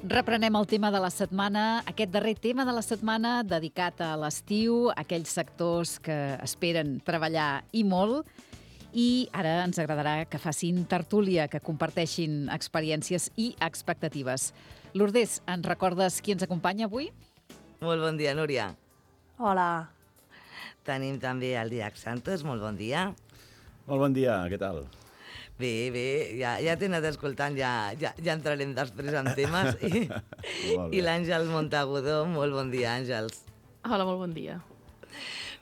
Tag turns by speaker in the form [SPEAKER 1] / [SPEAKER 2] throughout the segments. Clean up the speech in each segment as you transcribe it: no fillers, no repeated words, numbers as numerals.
[SPEAKER 1] Reprenem el tema de la setmana, aquest darrer tema de la setmana dedicat a l'estiu, a aquells sectors que esperen treballar i molt. I ara ens agradarà que facin tertúlia, que comparteixin experiències i expectatives. Lourdes, ens recordes qui ens acompanya avui?
[SPEAKER 2] Molt bon dia, Núria.
[SPEAKER 3] Hola.
[SPEAKER 2] Tenim també el Didac Santos, molt bon dia.
[SPEAKER 4] Molt bon dia, què tal?
[SPEAKER 2] Bé, ja t'he anat escoltant, ja entrarem després en temes. I l'Àngels Montagudo, molt bon dia, Àngels.
[SPEAKER 3] Hola, molt bon dia.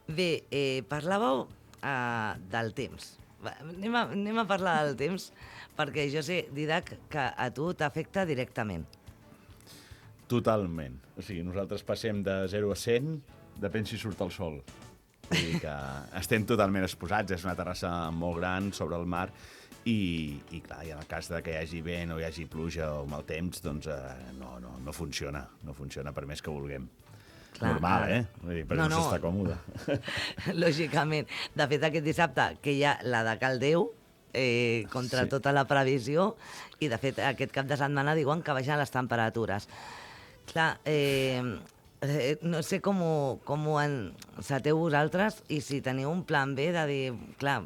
[SPEAKER 2] Bé, parlàveu del temps. Anem a parlar del temps, perquè jo sé, Didac, que a tu t'afecta directament.
[SPEAKER 4] Totalment. O sigui, nosaltres passem de 0 a 100, depèn si surt el sol. Vull dir que estem totalment exposats, és una terrassa molt gran sobre el mar i clar, i en el cas de que hi hagi vent o hi hagi pluja o mal temps, doncs no funciona per més que vulguem. Clar, normal, Vull dir, però no s'està còmode.
[SPEAKER 2] Lògicament. De fet, aquest dissabte, que hi ha la de Caldeu, contra tota la previsió, i de fet aquest cap de setmana diuen que baixen les temperatures. Clar, no sé com ho enceteu vosaltres i si teniu un plan B de dir, clar,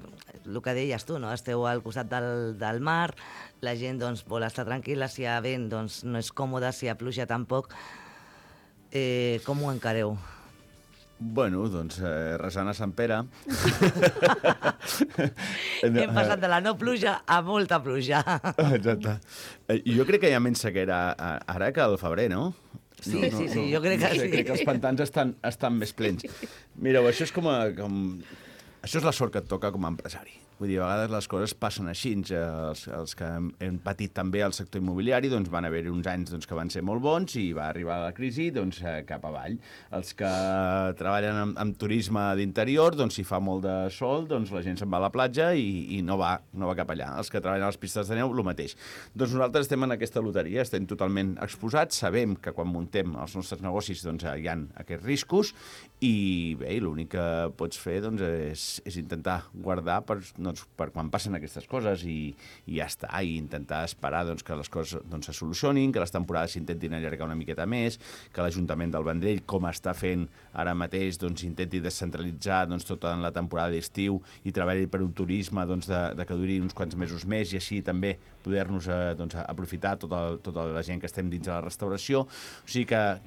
[SPEAKER 2] el que deies tu, no? Esteu al costat del mar, la gent doncs, vol estar tranquil·la, si hi ha vent doncs, no és còmode, si hi ha pluja tampoc. Com ho encareu?
[SPEAKER 4] Bueno, doncs resant a Sant Pere.
[SPEAKER 2] Hem passat de la no pluja a molta pluja.
[SPEAKER 4] Exacte. Jo crec que hi ha menys sequera ara que al febrer, no?
[SPEAKER 2] Sí, jo crec que sí.
[SPEAKER 4] Crec que els pantans estan més plens. Mireu, això és això és la sort que et toca com a empresari. Vull dir, a vegades les coses passen així. Els que hem patit també al sector immobiliari doncs van haver-hi uns anys que van ser molt bons i va arribar la crisi cap avall. Els que treballen amb turisme d'interior, si fa molt de sol, la gent se'n va a la platja i no va cap allà. Els que treballen a les pistes de neu, el mateix. Doncs nosaltres estem en aquesta loteria, estem totalment exposats, sabem que quan muntem els nostres negocis hi ha aquests riscos i bé, l'únic que pots fer és intentar guardar per quan passen aquestes coses i ja està, i intentar esperar que les coses se solucionin, que les temporades s'intentin allargar una miqueta més, que l'Ajuntament del Vendrell, com està fent ara mateix, intenti descentralitzar tota la temporada d'estiu i treballi per un turisme que duri uns quants mesos més i així també poder-nos aprofitar tota la gent que estem dins de la restauració. O sigui que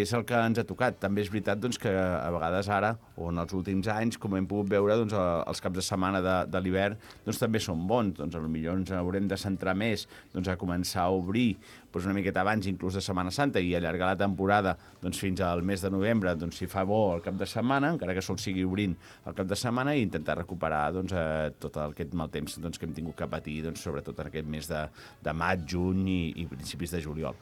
[SPEAKER 4] és el que ens ha tocat. També és veritat que a vegades ara, o en els últims anys, com hem pogut veure, els caps de setmana de l'hivern també són bons. Potser ens haurem de centrar més a començar a obrir una miqueta abans, inclús de Setmana Santa, i allargar la temporada fins al mes de novembre, si fa bo el cap de setmana, encara que sol sigui obrint el cap de setmana, i intentar recuperar tot aquest mal temps que hem tingut que patir, sobretot en aquest mes de maig, juny i principis de juliol.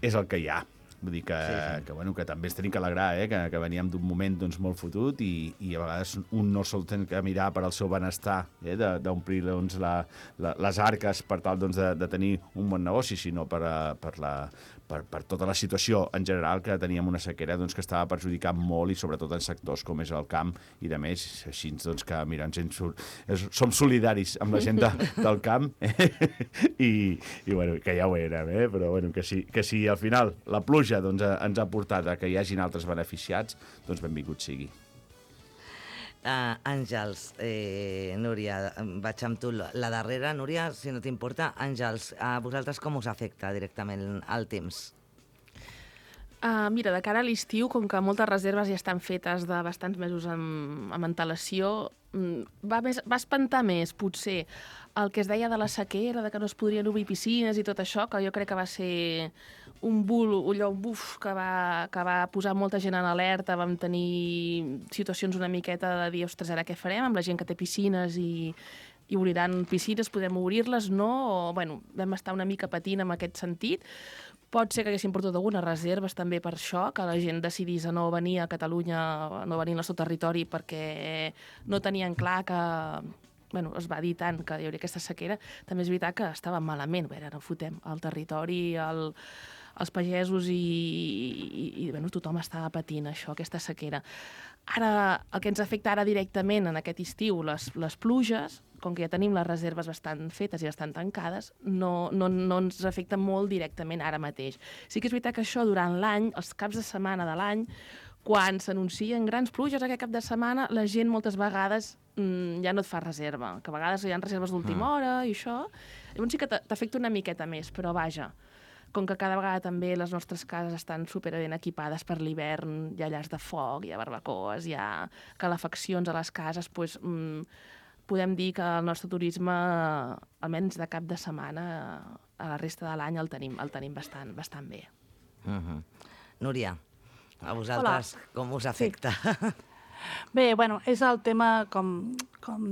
[SPEAKER 4] És el que hi ha. Vull dir que també ens tenim que alegrar, que veníem d'un moment molt fotut i a vegades un no sol tenir que mirar per al seu benestar, d'omplir les arques per tal de tenir un bon negoci, sinó per tota la situació en general, que teníem una sequera que estava perjudicant molt, i sobretot en sectors com és el camp i de més, així que mira, som solidaris amb la gent del camp i que ja ho érem, però que si al final la pluja ens ha portat a que hi hagin altres beneficiats, benvingut sigui.
[SPEAKER 2] Àngels, Núria, vaig amb tu. La darrera, Núria, si no t'importa. Àngels, a vosaltres com us afecta directament el temps?
[SPEAKER 3] Mira, de cara a l'estiu, com que moltes reserves ja estan fetes de bastants mesos amb antelació, va espantar més, potser, el que es deia de la sequera, de que no es podrien obrir piscines i tot això, que jo crec que va ser un buf que va posar molta gent en alerta. Vam tenir situacions una miqueta de dir, ostres, ara què farem amb la gent que té piscines i obriran piscines, podem obrir-les, no? O, vam estar una mica patint en aquest sentit. Pot ser que haguessin portat algunes reserves també per això, que la gent decidís a no venir a Catalunya, no venir al nostre territori, perquè no tenien clar que es va dir tant que hi hauria aquesta sequera. També és veritat que estàvem malament. No fotem el territori, els pagesos i tothom estava patint això, aquesta sequera. Ara, el que ens afecta ara directament en aquest estiu, les pluges, com que ja tenim les reserves bastant fetes i bastant tancades, no ens afecta molt directament ara mateix. Sí que és veritat que això durant l'any, els caps de setmana de l'any, quan s'anuncien grans pluges aquest cap de setmana, la gent moltes vegades ja no et fa reserva, que a vegades hi ha reserves d'última hora i això. Llavors sí que t'afecta una miqueta més, però vaja, com que cada vegada també les nostres cases estan superben equipades per l'hivern, hi ha llars de foc, hi ha barbacoes, hi ha calefaccions a les cases, doncs, podem dir que el nostre turisme, almenys de cap de setmana, a la resta de l'any el tenim bastant bé.
[SPEAKER 2] Núria, a vosaltres com us afecta?
[SPEAKER 5] Bé, bueno, és el tema, com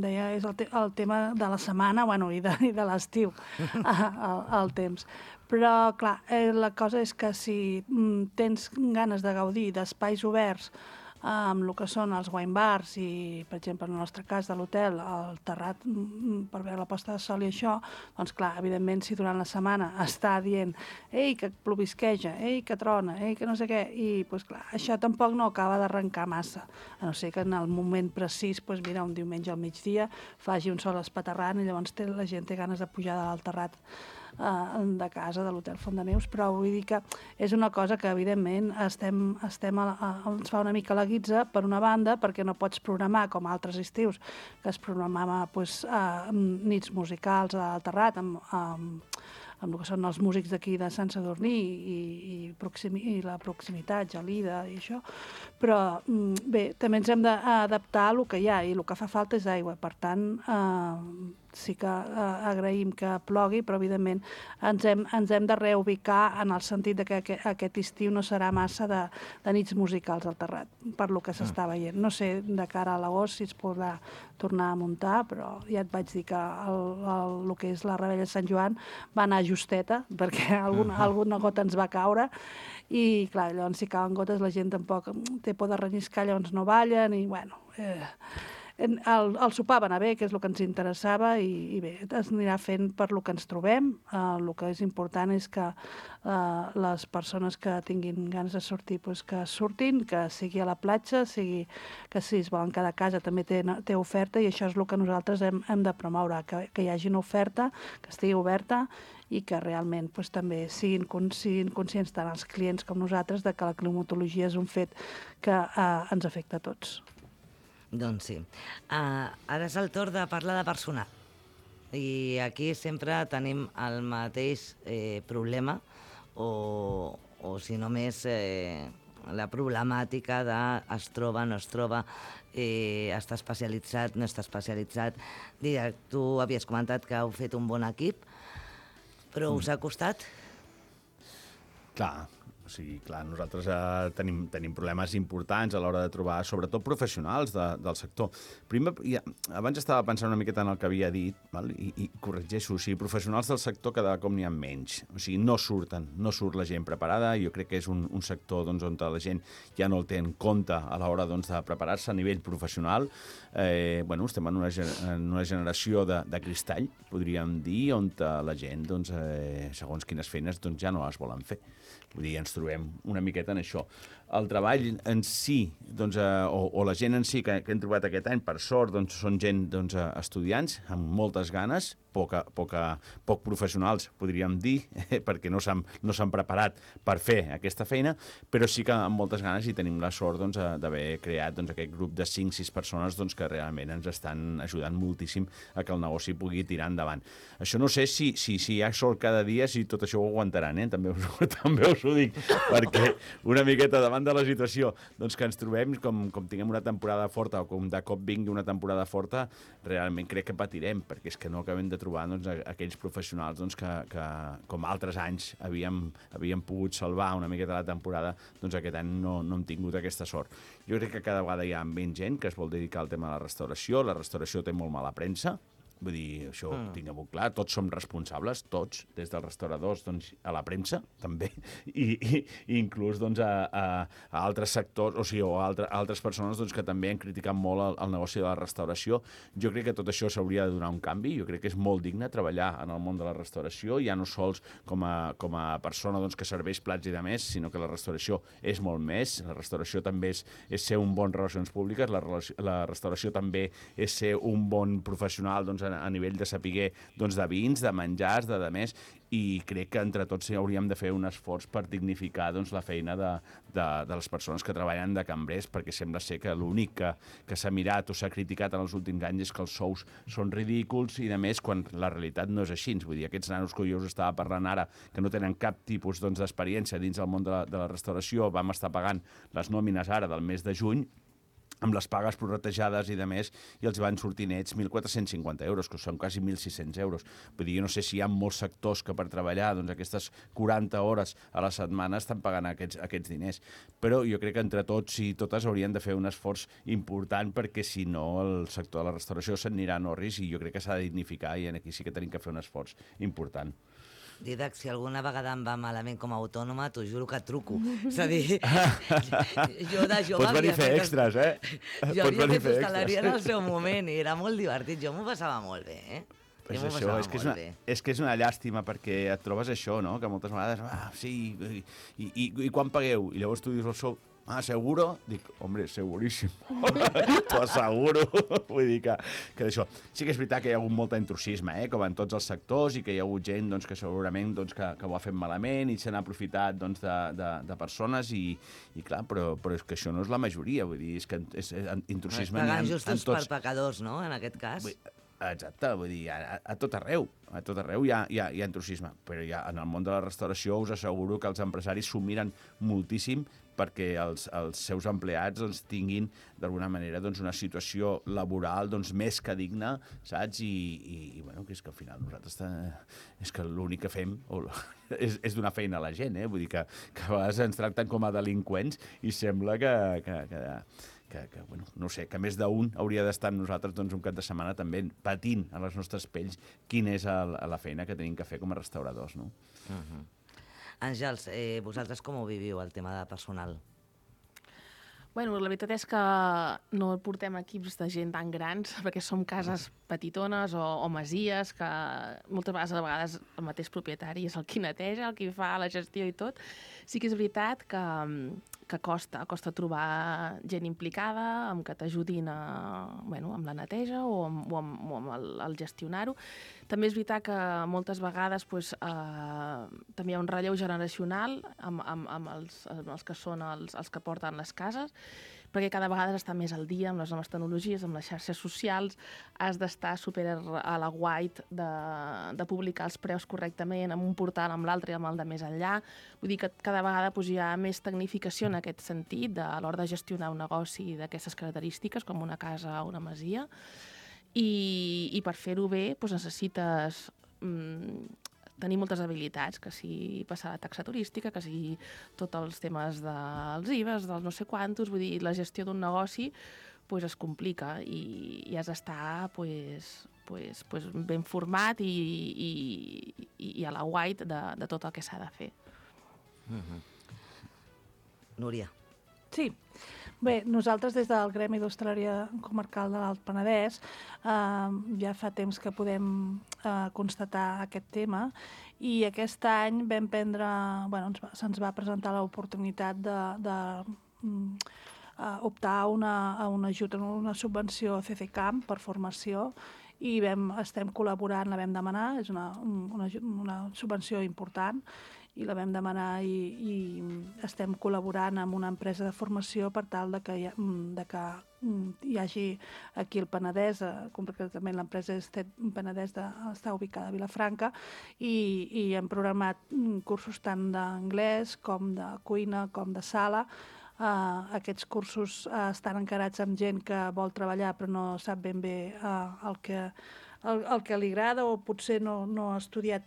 [SPEAKER 5] deia, és el tema de la setmana, bueno, i de l'estiu, el temps. Però, clar, la cosa és que si tens ganes de gaudir d'espais oberts amb el que són els wine bars i, per exemple, en el nostre cas de l'hotel, el terrat per veure la posta de sol i això, doncs clar, evidentment, si durant la setmana està dient ei, que plovisqueja, ei, que trona, ei, que no sé què, i, doncs clar, això tampoc no acaba d'arrencar massa, a no ser que en el moment precís, doncs mira, un diumenge al migdia faci un sol espaterrant i llavors la gent té ganes de pujar dalt terrat de casa, de l'hotel Font de Neus, però vull dir que és una cosa que, evidentment, ens fa una mica la guitza, per una banda, perquè no pots programar, com altres estius, que es programava nits musicals al terrat, amb el que són els músics d'aquí de Sant Sadurní i la proximitat, Gelida i això, però bé, també ens hem d'adaptar a el que hi ha i el que fa falta és aigua, per tant sí que agraïm que plogui, però evidentment ens hem de reubicar en el sentit que aquest estiu no serà massa de nits musicals al terrat, per lo que s'està veient. No sé de cara a l'agost si es podrà tornar a muntar, però ja et vaig dir que el que és la Rebella de Sant Joan va anar justeta, perquè alguna gota ens va caure, i clar, llavors si cauen gotes la gent tampoc té por de relliscar, llavors no ballen, i bueno... El sopar va anar bé, que és el que ens interessava, i bé, es anirà fent per lo que ens trobem. El que és important és que les persones que tinguin ganes de sortir, doncs que surtin, que sigui a la platja, que si es volen quedar a casa també té oferta, i això és el que nosaltres hem de promoure, que hi hagi una oferta, que estigui oberta, i que realment doncs, també siguin conscients tant els clients com nosaltres de que la climatologia és un fet que ens afecta a tots.
[SPEAKER 2] Doncs sí. Ara és el torn de parlar de personal. I aquí sempre tenim el mateix problema, o si no més, la problemàtica de es troba, no es troba, està especialitzat, no està especialitzat. Tu havies comentat que heu fet un bon equip, però us ha costat?
[SPEAKER 4] Clar, nosaltres tenim problemes importants a l'hora de trobar, sobretot professionals del sector. Primer, abans estava pensant una miqueta en el que havia dit, val? I corregeixo, o sigui, professionals del sector cada cop n'hi ha menys. O sigui, no surt la gent preparada, i jo crec que és un sector on la gent ja no el té en compte a l'hora de preparar-se a nivell professional. Estem en una generació de cristall, podríem dir, on la gent, segons quines feines, ja no les volen fer. Vull dir, ens trobem una miqueta en això. El treball en si, o la gent en si que hem trobat aquest any, per sort, són gent estudiants amb moltes ganes, poc professionals, podríem dir, perquè no s'han preparat per fer aquesta feina, però sí que amb moltes ganes, i tenim la sort d'haver creat aquest grup de 5-6 persones que realment ens estan ajudant moltíssim a que el negoci pugui tirar endavant. Això no sé si hi ha sort cada dia, si tot això ho aguantaran, també us ho dic, perquè una miqueta davant de la situació que ens trobem, com tinguem una temporada forta o com de cop vingui una temporada forta, realment crec que patirem, perquè és que no acabem de trobar aquells professionals que com altres anys havíem pogut salvar una miqueta la temporada, aquest any no hem tingut aquesta sort. Jo crec que cada vegada hi ha menys gent que es vol dedicar al tema de la restauració té molt mala premsa, vull dir, això ho tinguem clar, tots som responsables, tots, des dels restauradors a la premsa, també, i inclús a altres sectors, o sigui, a altres persones que també han criticat molt el negoci de la restauració. Jo crec que tot això s'hauria de donar un canvi, jo crec que és molt digne treballar en el món de la restauració, ja no sols com a persona que serveix plats i de més, sinó que la restauració és molt més, la restauració també és ser un bon relacions públiques, la restauració també és ser un bon professional a nivell de saber de vins, de menjars, de més, i crec que entre tots hauríem de fer un esforç per dignificar la feina de les persones que treballen de cambrers, perquè sembla ser que l'únic que s'ha mirat o s'ha criticat en els últims anys és que els sous són ridículs i, a més, quan la realitat no és així. Vull dir, aquests nanos que jo us estava parlant ara, que no tenen cap tipus d'experiència dins del món de la restauració, vam estar pagant les nòmines ara del mes de juny, amb les pagues prorratejades i de més, i els van sortir nets 1.450 euros, que són quasi 1.600 euros. Vull dir, jo no sé si hi ha molts sectors que per treballar aquestes 40 hores a la setmana estan pagant aquests diners. Però jo crec que entre tots i totes haurien de fer un esforç important, perquè si no el sector de la restauració s'anirà a Norris, i jo crec que s'ha de dignificar, i aquí sí que tenim que fer un esforç important.
[SPEAKER 2] Didac, si alguna vegada em va malament com a autònoma, t'ho juro que truco. És a dir, jo de jove...
[SPEAKER 4] Pots venir a fer extras, eh?
[SPEAKER 2] Jo havia fet hostaleria en el seu moment i era molt divertit. Jo m'ho passava molt bé, eh?
[SPEAKER 4] Pues això, és que és una llàstima, perquè et trobes això, no? Que moltes vegades, sí, i quan pagueu? I llavors tu dius el sou, ¿seguro? Dic, hombre, seguríssim. T'ho asseguro. Vull dir que d'això. Sí que és veritat que hi ha hagut molt intrusisme, com en tots els sectors, i que hi ha hagut gent que segurament que ho ha fet malament i se n'ha aprofitat de persones, i clar, però és que això no és la majoria. Vull dir, és que és intrusisme...
[SPEAKER 2] Pagant justos per pecadors, no?, en aquest cas.
[SPEAKER 4] Exacte, vull dir, a tot arreu hi ha intrusisme, però en el món de la restauració us asseguro que els empresaris s'ho miren moltíssim perquè els seus empleats tinguin d'alguna manera una situació laboral més que digna, saps? I bueno, que és que al final nosaltres és que l'únic que fem és donar feina a la gent, vull dir que a vegades ens tracten com a delinqüents i sembla que bueno, no sé, que més d'un hauria d'estar amb nosaltres un cap de setmana també patint a les nostres pells quina és la feina que tenim que fer com a restauradors, no?
[SPEAKER 2] Àngels, vosaltres com ho viviu, el tema de personal?
[SPEAKER 3] Bueno, la veritat és que no portem equips de gent tan grans, perquè som cases petitones o masies, que moltes vegades el mateix propietari és el qui neteja, el qui fa la gestió i tot. Sí que és veritat que costa trobar gent implicada, que t'ajudin amb la neteja o amb el gestionar-ho. També és veritat que moltes vegades també hi ha un relleu generacional amb els que són els que porten les cases, perquè cada vegada has d'estar més al dia amb les noves tecnologies, amb les xarxes socials, has d'estar super a la guait de publicar els preus correctament amb un portal, amb l'altre i amb el de més enllà. Vull dir que cada vegada hi ha més tecnificació en aquest sentit a l'hora de gestionar un negoci d'aquestes característiques, com una casa o una masia, i per fer-ho bé necessites tenir moltes habilitats, que si passar la taxa turística, que si tots els temes dels IVAs, dels no sé quantos, vull dir, la gestió d'un negoci es complica i has d'estar ben format i a la guait de tot el que s'ha de fer.
[SPEAKER 2] Núria.
[SPEAKER 5] Sí. Bé, nosaltres des del Gremi d'Hostaleria Comarcal de l'Alt Penedès ja fa temps que podem constatar aquest tema, i aquest any vam prendre, se'ns va presentar l'oportunitat d'optar a un ajut, a una subvenció CCCAM per formació, i estem col·laborant, la vam demanar, és una subvenció important, i la vam demanar i estem col·laborant amb una empresa de formació per tal que hi hagi aquí al Penedès, concretament l'empresa Penedès està ubicada a Vilafranca, i hem programat cursos tant d'anglès com de cuina com de sala. Aquests cursos estan encarats amb gent que vol treballar però no sap ben bé el que li agrada, o potser no ha estudiat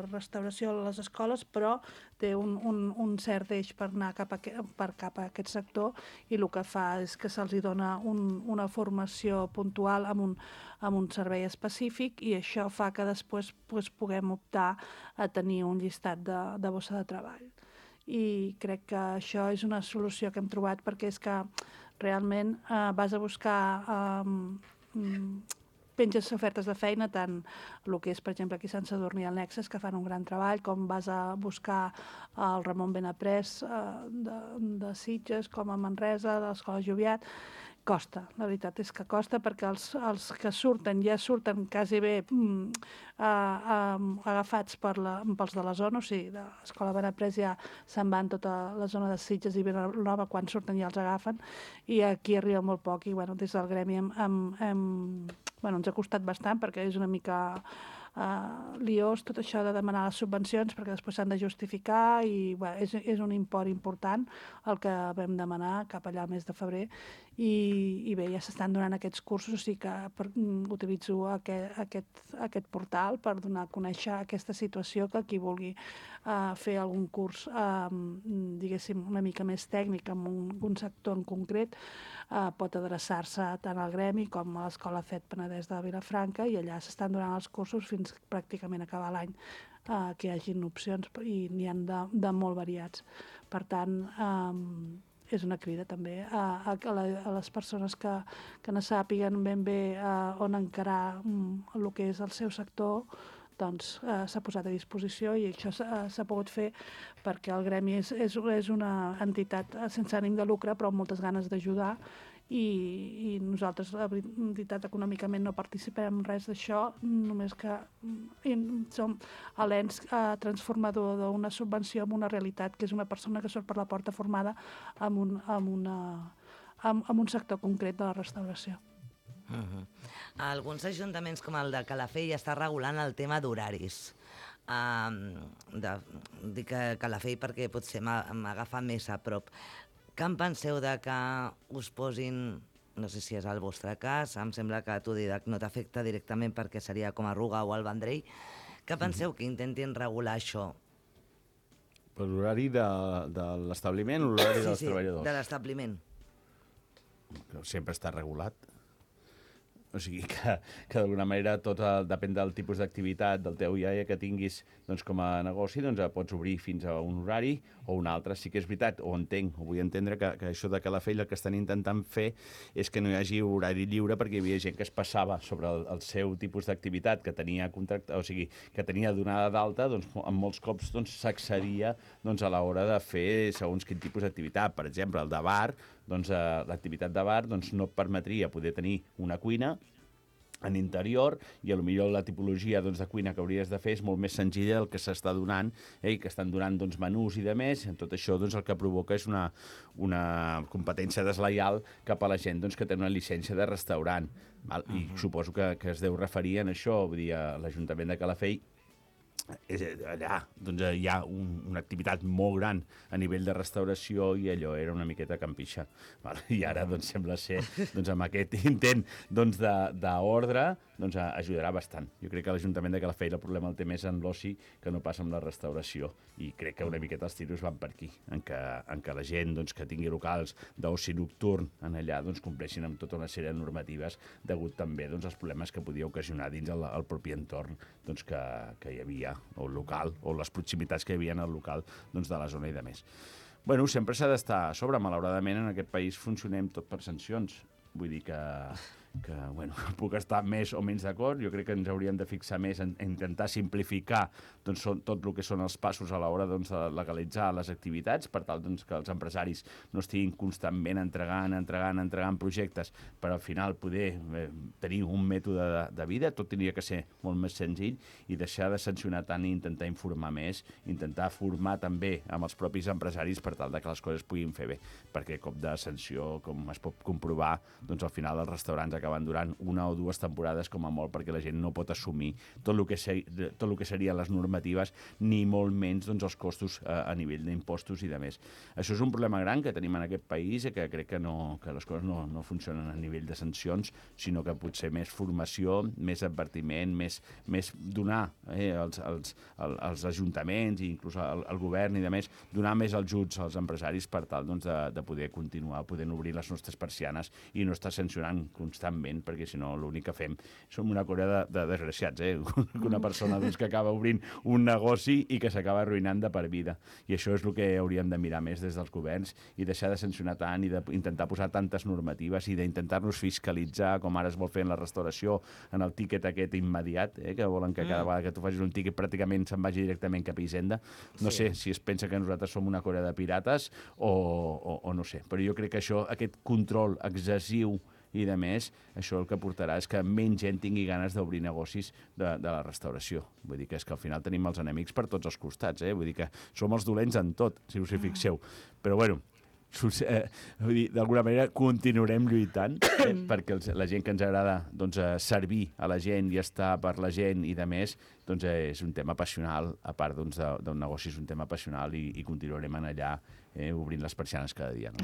[SPEAKER 5] restauració a les escoles, però té un cert deix per anar cap a aquest sector, i el que fa és que se'ls dona una formació puntual amb un servei específic, i això fa que després puguem optar a tenir un llistat de bossa de treball. I crec que això és una solució que hem trobat, perquè és que realment vas a buscar penges ofertes de feina, tant el que és, per exemple, aquí a Sant Sadurní i al Nexes, que fan un gran treball, com vas a buscar el Ramon Benaprés de Sitges, com a Manresa, de l'Escola Joviat, costa, la veritat és que costa perquè els que surten ja surten quasi bé agafats pels de la zona, o sigui, de l'Escola Benaprés ja se'n van tota la zona de Sitges i Vilanova, quan surten ja els agafen, i aquí arriba molt poc, i bueno, des del gremi ens ha costat bastant perquè és una mica liós tot això de demanar les subvencions perquè després s'han de justificar i és un import important el que vam demanar cap allà al mes de febrer i bé, ja s'estan donant aquests cursos, o sigui que utilitzo aquest portal per donar a conèixer aquesta situació, que qui vulgui fer algun curs diguéssim una mica més tècnic en un sector en concret pot adreçar-se tant al gremi com a l'Escola FED Penedès de Vilafranca i allà s'estan donant els cursos fins pràcticament acabar l'any que hi hagin opcions i n'hi ha de molt variats. Per tant, és una crida també a les persones que no sàpiguen ben bé on encarar el que és el seu sector, doncs s'ha posat a disposició i això s'ha pogut fer perquè el gremi és una entitat sense ànim de lucre però amb moltes ganes d'ajudar i nosaltres, la veritat, econòmicament no participem en res d'això, només que som l'ens transformador d'una subvenció en una realitat, que és una persona que surt per la porta formada en un sector concret de la restauració.
[SPEAKER 2] Alguns ajuntaments com el de Calafell està regulant el tema d'horaris. Dic Calafell perquè potser m'agafa més a prop. Què en penseu de que us posin, no sé si és el vostre cas, em sembla que a tu, Didac, no t'afecta directament perquè seria com a Ruga o el Vendrell, què penseu que intentin regular això?
[SPEAKER 4] Per l'horari de l'establiment o l'horari dels treballadors?
[SPEAKER 2] Sí, de l'establiment.
[SPEAKER 4] Sempre està regulat. O sigui que d'alguna manera tot depèn del tipus d'activitat del teu iaia que tinguis com a negoci, pots obrir fins a un horari o un altre. Sí que és veritat, o vull entendre que això de Calafell el que estan intentant fer és que no hi hagi horari lliure perquè hi havia gent que es passava sobre el seu tipus d'activitat que tenia contracte, o sigui, que tenia donada d'alta, en molts cops s'accedia a l'hora de fer segons quin tipus d'activitat. Per exemple, el de bar, l'activitat de bar no et permetria poder tenir una cuina en interior i potser la tipologia de cuina que hauries de fer és molt més senzilla del que s'està donant i que estan donant menús i de més. Tot això el que provoca és una competència deslleial cap a la gent que té una llicència de restaurant. I suposo que es deu referir a això, vull dir, a l'Ajuntament de Calafell. Allà hi ha una activitat molt gran a nivell de restauració i allò era una miqueta campixa. I ara sembla ser, amb aquest intent d'ordre, ajudarà bastant. Jo crec que l'Ajuntament de Calafell el problema el té més en l'oci que no passa amb la restauració i crec que una miqueta els tiros van per aquí, en què la gent que tingui locals d'oci nocturn en allà compleixin amb tota una sèrie de normatives degut també als problemes que podia ocasionar dins el propi entorn que hi havia, o el local, o les proximitats que hi havia en el local de la zona i de més. Bueno, sempre s'ha d'estar a sobre. Malauradament, en aquest país funcionem tot per sancions. Vull dir que puc estar més o menys d'acord. Jo crec que ens hauríem de fixar més en intentar simplificar tot el que són els passos a l'hora de legalitzar les activitats, per tal que els empresaris no estiguin constantment entregant projectes per al final poder tenir un mètode de vida. Tot hauria que ser molt més senzill i deixar de sancionar tant i intentar informar més, intentar formar també amb els propis empresaris per tal que les coses puguin fer bé, perquè cop de sanció, com es pot comprovar, al final els restaurants acaben durant una o dues temporades com a molt perquè la gent no pot assumir tot el que serien les normatives ni molt menys els costos a nivell d'impostos i de més. Això és un problema gran que tenim en aquest país i que crec que les coses no funcionen a nivell de sancions, sinó que potser més formació, més advertiment, més donar als ajuntaments i inclús al govern i de més, donar més ajuts als empresaris per tal de poder continuar podent obrir les nostres persianes i no estar sancionant constantment constantment, perquè si no l'únic que fem som una colla de desgraciats, una persona doncs, que acaba obrint un negoci i que s'acaba arruïnant de per vida. I això és el que hauríem de mirar més des dels governs i deixar de sancionar tant i d'intentar posar tantes normatives i d'intentar-nos fiscalitzar, com ara es vol fer en la restauració, en el tíquet aquest immediat, que volen que cada vegada que tu facis un tíquet pràcticament se'n vagi directament cap a Hisenda. No sé si es pensa que nosaltres som una colla de pirates o no sé, però jo crec que això, aquest control excessiu i de més, això el que portarà és que menys gent tingui ganes d'obrir negocis de la restauració. Vull dir que és que al final tenim els enemics per tots els costats, vull dir que som els dolents en tot, si us hi fixeu. Però bueno, d'alguna manera continuarem lluitant perquè la gent que ens agrada doncs, servir a la gent i estar per la gent i de més, doncs és un tema passional, a part doncs, d'un negoci és un tema passional i continuarem allà obrint les persianes cada dia. No?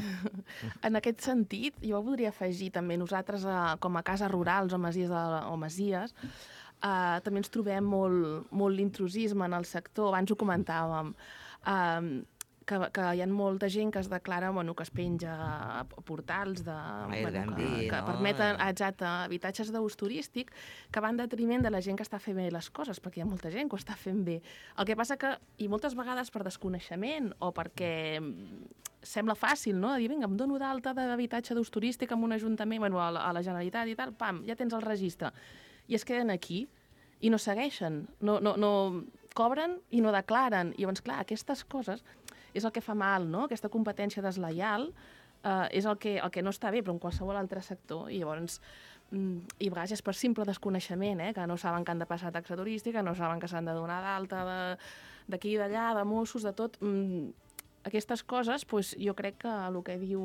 [SPEAKER 3] En aquest sentit, jo voldria afegir també nosaltres com a cases rurals o masies, també ens trobem molt l'intrusisme en el sector, abans ho comentàvem, que hi ha molta gent que es declara, que es penja a portals que permeten habitatges d'ús turístic que van en detriment de la gent que està fent bé les coses, perquè hi ha molta gent que ho està fent bé. El que passa que, i moltes vegades per desconeixement o perquè sembla fàcil, no?, de dir, vinga, em dono d'alta d'habitatge d'ús turístic en un ajuntament, a la Generalitat i tal, pam, ja tens el registre. I es queden aquí i no segueixen, no cobren i no declaren. I llavors, clar, aquestes coses és el que fa mal, no?, aquesta competència deslleial és el que no està bé, però en qualsevol altre sector. I llavors, i a vegades és per simple desconeixement, que no saben que han de passar taxa turística, no saben que s'han de donar d'alta d'aquí i d'allà, de Mossos, de tot. Aquestes coses, jo crec que el que diu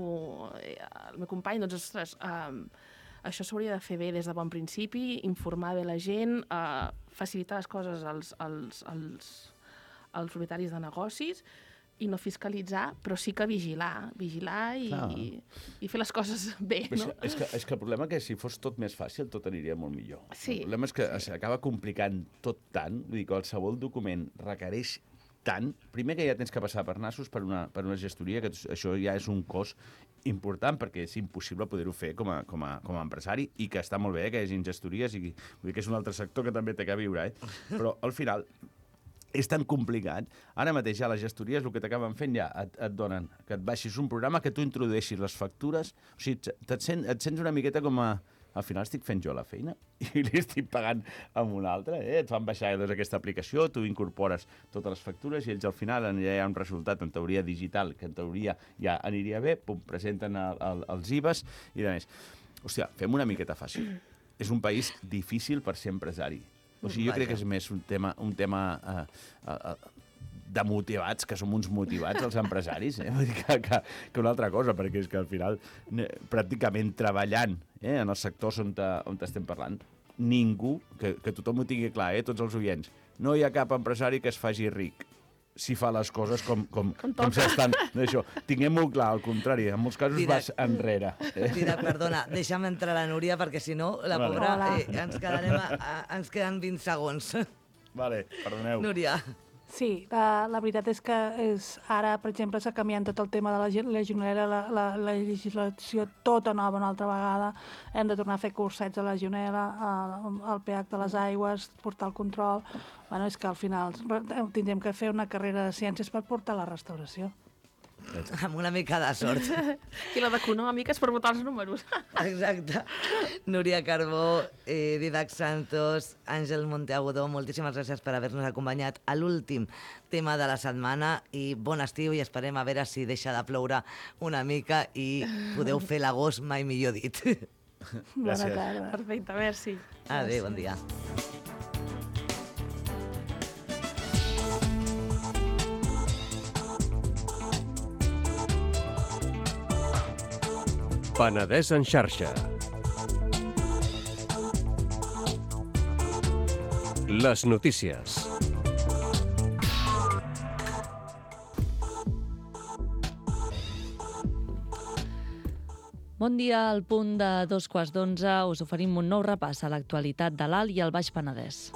[SPEAKER 3] el meu company, doncs, ostres, això s'hauria de fer bé des de bon principi, informar bé la gent, facilitar les coses als propietaris de negocis, i no fiscalitzar, però sí que vigilar i fer les coses bé, no?
[SPEAKER 4] És que el problema és que si fos tot més fàcil, tot aniria molt millor.
[SPEAKER 3] Sí.
[SPEAKER 4] El problema és que s'acaba complicant tot tant, vull dir, qualsevol document requereix tant, primer que ja tens que passar per nassos per una gestoria, que això ja és un cost important, perquè és impossible poder-ho fer com a empresari, i que està molt bé que hi hagi gestories, i vull dir que és un altre sector que també té que viure, però al final és tan complicat. Ara mateix ja les gestories el que t'acaben fent ja et donen que et baixis un programa, que tu introdueixis les factures, o sigui, et sents una miqueta com a... Al final estic fent jo la feina i li estic pagant a un altre. Et fan baixar aquesta aplicació, tu incorpores totes les factures i ells al final ja hi ha un resultat en teoria digital que en teoria ja aniria bé, presenten els IVAs i de més. Hòstia, fem una miqueta fàcil. És un país difícil per ser empresari. O sigui, jo crec que és més un tema de motivats, que som uns motivats els empresaris, vull dir que una altra cosa, perquè és que al final, pràcticament treballant en els sectors on estem parlant, ningú, que tothom ho tingui clar, tots els oients, no hi ha cap empresari que es faci ric si fa les coses com s'estan. Tinguem-ho clar, al contrari, en molts casos vas enrere.
[SPEAKER 2] Mira, perdona, deixa'm entrar la Núria, perquè si no, la pobra, ens queden 20 segons.
[SPEAKER 4] Vale, perdoneu.
[SPEAKER 2] Núria.
[SPEAKER 5] Sí, la veritat és que ara, per exemple, s'ha canviat tot el tema de la legionel·la, la legislació tota nova una altra vegada. Hem de tornar a fer cursets a la legionel·la, al pH de les aigües, portar el control. Bueno, és que al final tindrem que fer una carrera de ciències per portar la restauració.
[SPEAKER 2] Amb una mica de sort.
[SPEAKER 3] I la d'econòmiques per votar els números.
[SPEAKER 2] Exacte. Núria Carbó, Didac Santos, Àngel Monteagudo, moltíssimes gràcies per haver-nos acompanyat a l'últim tema de la setmana i bon estiu, i esperem a veure si deixa de ploure una mica i podeu fer l'agost mai millor dit.
[SPEAKER 5] Bona tarda.
[SPEAKER 3] Perfecte, merci.
[SPEAKER 2] Adéu, bon dia.
[SPEAKER 6] Penedès en xarxa. Les notícies.
[SPEAKER 7] Bon dia, al punt de 11:15 us oferim un nou repàs a l'actualitat de l'Alt i el Baix Penedès.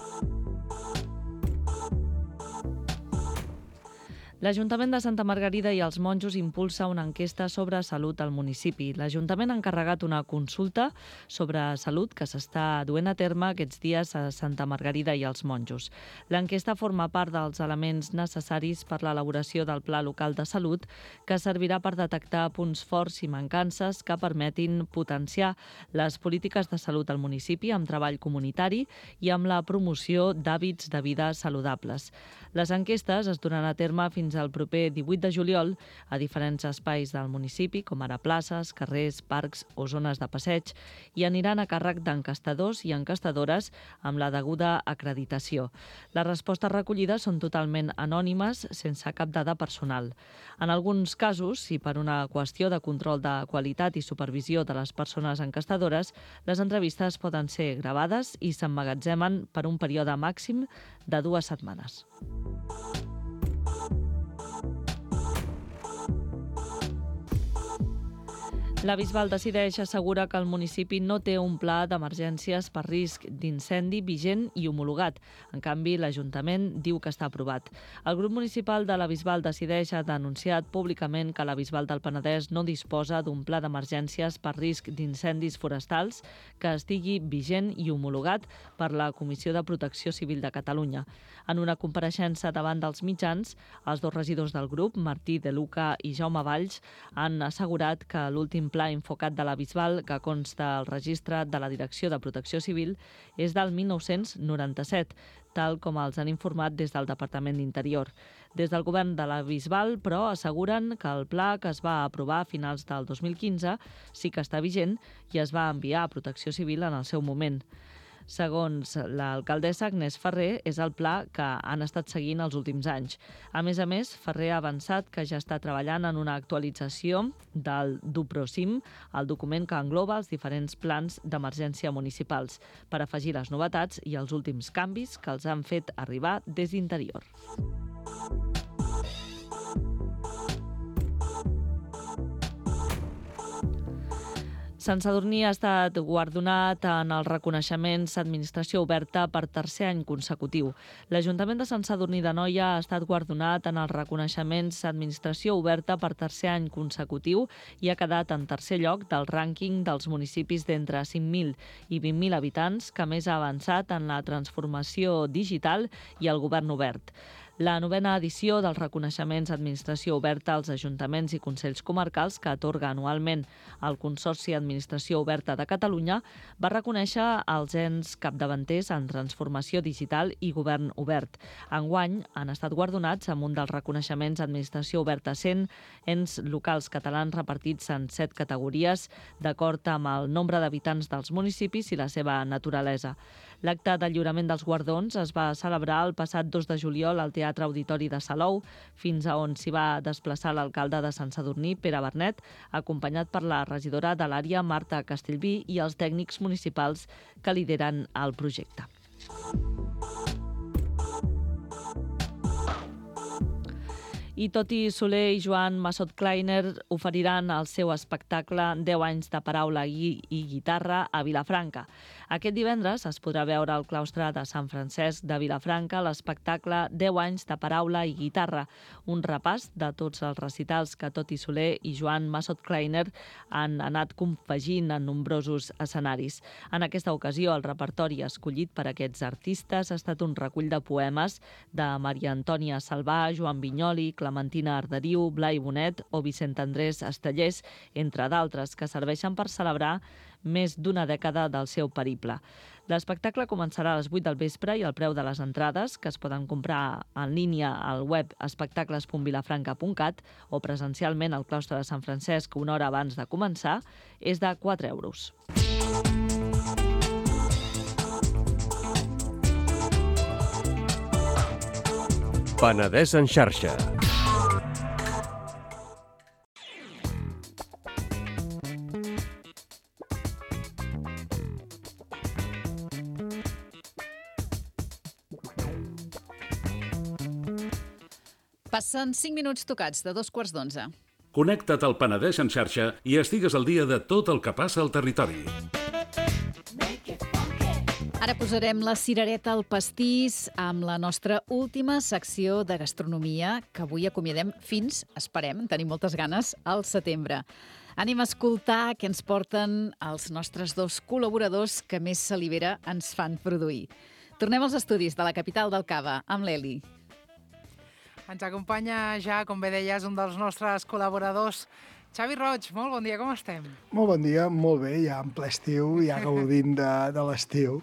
[SPEAKER 7] L'Ajuntament de Santa Margarida i els monjos impulsa una enquesta sobre salut al municipi. L'Ajuntament ha encarregat una consulta sobre salut que s'està duent a terme aquests dies a Santa Margarida i els monjos. L'enquesta forma part dels elements necessaris per l'elaboració del Pla Local de Salut, que servirà per detectar punts forts i mancances que permetin potenciar les polítiques de salut al municipi amb treball comunitari i amb la promoció d'hàbits de vida saludables. Les enquestes es duran a terme fins al proper 18 de juliol a diferents espais del municipi, com ara places, carrers, parcs o zones de passeig, i aniran a càrrec d'enquestadors i enquestadores amb la deguda acreditació. Les respostes recollides són totalment anònimes, sense cap dada personal. En alguns casos, i per una qüestió de control de qualitat i supervisió de les persones enquestadores, les entrevistes poden ser gravades i s'emmagatzemen per un període màxim de 2 setmanes. La Bisbal decideix assegurar que el municipi no té un pla d'emergències per risc d'incendi vigent i homologat. En canvi, l'Ajuntament diu que està aprovat. El grup municipal de la Bisbal decideix ha denunciat públicament que la Bisbal del Penedès no disposa d'un pla d'emergències per risc d'incendis forestals que estigui vigent i homologat per la Comissió de Protecció Civil de Catalunya. En una compareixença davant dels mitjans, els 2 regidors del grup, Martí de Luca i Jaume Valls, han assegurat que l'últim pla Infocat de la Bisbal, que consta al registre de la Direcció de Protecció Civil, és del 1997, tal com els han informat des del Departament d'Interior. Des del govern de la Bisbal, però, asseguren que el pla que es va aprovar a finals del 2015 sí que està vigent i es va enviar a Protecció Civil en el seu moment. Segons l'alcaldessa Agnès Ferrer, és el pla que han estat seguint els últims anys. A més, Ferrer ha avançat que ja està treballant en una actualització del DUPROCIM, el document que engloba els diferents plans d'emergència municipals, per afegir les novetats i els últims canvis que els han fet arribar des d'Interior. Sant Sadurní ha estat guardonat en els reconeixements Administració Oberta per 3è any consecutiu. L'Ajuntament de Sant Sadurní d'Anoia ha estat guardonat en els reconeixements Administració Oberta per 3è any consecutiu i ha quedat en 3è lloc del rànquing dels municipis d'entre 5.000 i 20.000 habitants que més ha avançat en la transformació digital i el govern obert. La 9a edició dels reconeixements Administració Oberta als ajuntaments i consells comarcals que atorga anualment el Consorci Administració Oberta de Catalunya va reconèixer els ens capdavanters en transformació digital i govern obert. Enguany han estat guardonats amb un dels reconeixements Administració Oberta 100 ens locals catalans repartits en 7 categories d'acord amb el nombre d'habitants dels municipis i la seva naturalesa. L'acte de lliurament dels guardons es va celebrar el passat 2 de juliol al Teatre Auditori de Salou, fins a on s'hi va desplaçar l'alcalde de Sant Sadurní, Pere Bernet, acompanyat per la regidora de l'àrea, Marta Castellví, i els tècnics municipals que lideren el projecte. I Toti Soler i Joan Massot Kleiner oferiran el seu espectacle 10 anys de paraula i guitarra a Vilafranca. Aquest divendres es podrà veure al claustre de Sant Francesc de Vilafranca l'espectacle 10 anys de paraula i guitarra, un repàs de tots els recitals que Toti Soler i Joan Massot Kleiner han anat confegint en nombrosos escenaris. En aquesta ocasió, el repertori escollit per aquests artistes ha estat un recull de poemes de Maria Antònia Salvà, Joan Vinyoli, Clementina Arderiu, Blai Bonet o Vicent Andrés Estellers, entre d'altres, que serveixen per celebrar més d'una dècada del seu periple. L'espectacle començarà a les 8 del vespre i el preu de les entrades, que es poden comprar en línia al web espectacles.vilafranca.cat o presencialment al claustre de Sant Francesc una hora abans de començar, és de 4 euros.
[SPEAKER 6] Penedès en xarxa.
[SPEAKER 1] Passen 5 minuts tocats de 11:45.
[SPEAKER 8] Connecta't al Penedès en xarxa i estigues al dia de tot el que passa al territori.
[SPEAKER 1] Ara posarem la cirereta al pastís amb la nostra última secció de gastronomia, que avui acomiadem fins, esperem, tenim moltes ganes, al setembre. Anem a escoltar què ens porten els nostres dos col·laboradors que més salivera ens fan produir. Tornem als estudis de la capital del cava, amb l'Eli.
[SPEAKER 9] Ens acompanya ja, com bé deies, un dels nostres col·laboradors, Xavi Roig. Molt bon dia, com estem?
[SPEAKER 10] Molt bon dia, molt bé, ja en ple estiu, ja gaudint de l'estiu.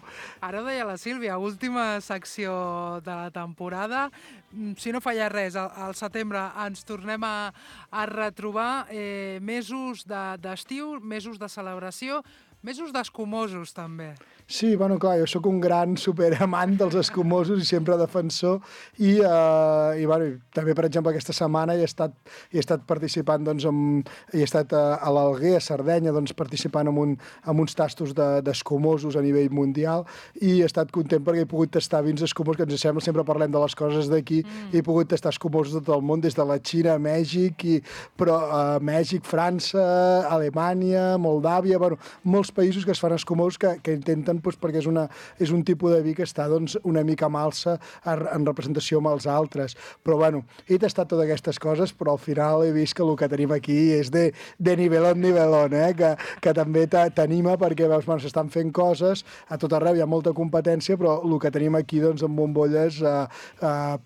[SPEAKER 9] Ara ho deia la Sílvia, última secció de la temporada. Si no falla res, al setembre ens tornem a retrobar, mesos d'estiu, mesos de celebració, mesos d'escumosos, també.
[SPEAKER 10] Sí, bueno, clar, jo sóc un gran superamant dels escumosos i sempre defensor i també, per exemple, aquesta setmana he estat participant, doncs, he estat a l'Alguer, a Sardenya, doncs, participant en uns tastos d'escumosos a nivell mundial i he estat content perquè he pogut tastar vins escumosos, que ens sembla, sempre parlem de les coses d'aquí, i he pogut tastar escumosos de tot el món, des de la Xina a Mèxic, Mèxic, França, Alemanya, Moldàvia, bueno, molts països que es fan escumosos que intenten, doncs, perquè és un tipus de vi que està, doncs, una mica malsa en representació amb els altres. Però, bueno, he tastat totes aquestes coses, però al final he vist que el que tenim aquí és de nivelón, que també t'anima perquè, veus, bueno, s'estan fent coses, a tot arreu hi ha molta competència, però el que tenim aquí, doncs, en bombolles,